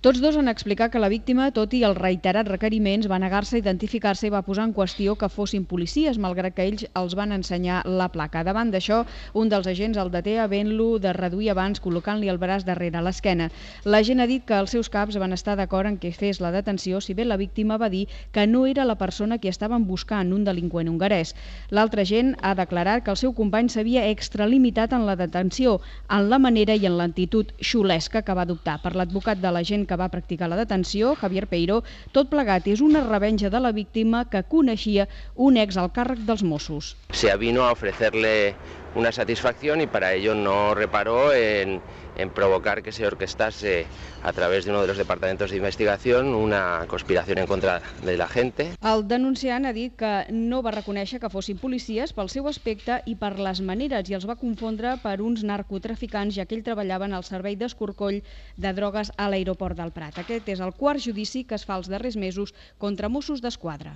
Tots dos han explicat que la víctima, tot i els reiterats requeriments, va negar-se a identificar-se i va posar en qüestió que fossin policies, malgrat que ells els van ensenyar la placa. Davant d'això, un dels agents el deté havent-lo de reduir abans, col·locant-li el braç darrere l'esquena. L'agent ha dit que els seus caps van estar d'acord en què fes la detenció, si bé la víctima va dir que no era la persona que estaven buscant, un delinqüent hongarès. L'altre agent ha declarat que el seu company s'havia extralimitat en la detenció, en la manera i en l'actitud xulesca que va adoptar. Per l'advocat de l'agent que va practicar la detenció, Javier Peiró, tot plegat és una revenja de la víctima que coneixia un ex al càrrec dels Mossos. Se avino a ofrecerle una satisfacción y para ello no reparó en provocar que se orquestase a través de uno de los departamentos de investigación una conspiración en contra de la gente. El denunciant ha dit que no va reconèixer que fossin policies pel seu aspecte i per les maneres i els va confondre per uns narcotraficants, ja que ell treballava en el servei d'escorcoll de drogues a l'aeroport del Prat. Aquest és el quart judici que es fa els darrers mesos contra Mossos d'Esquadra.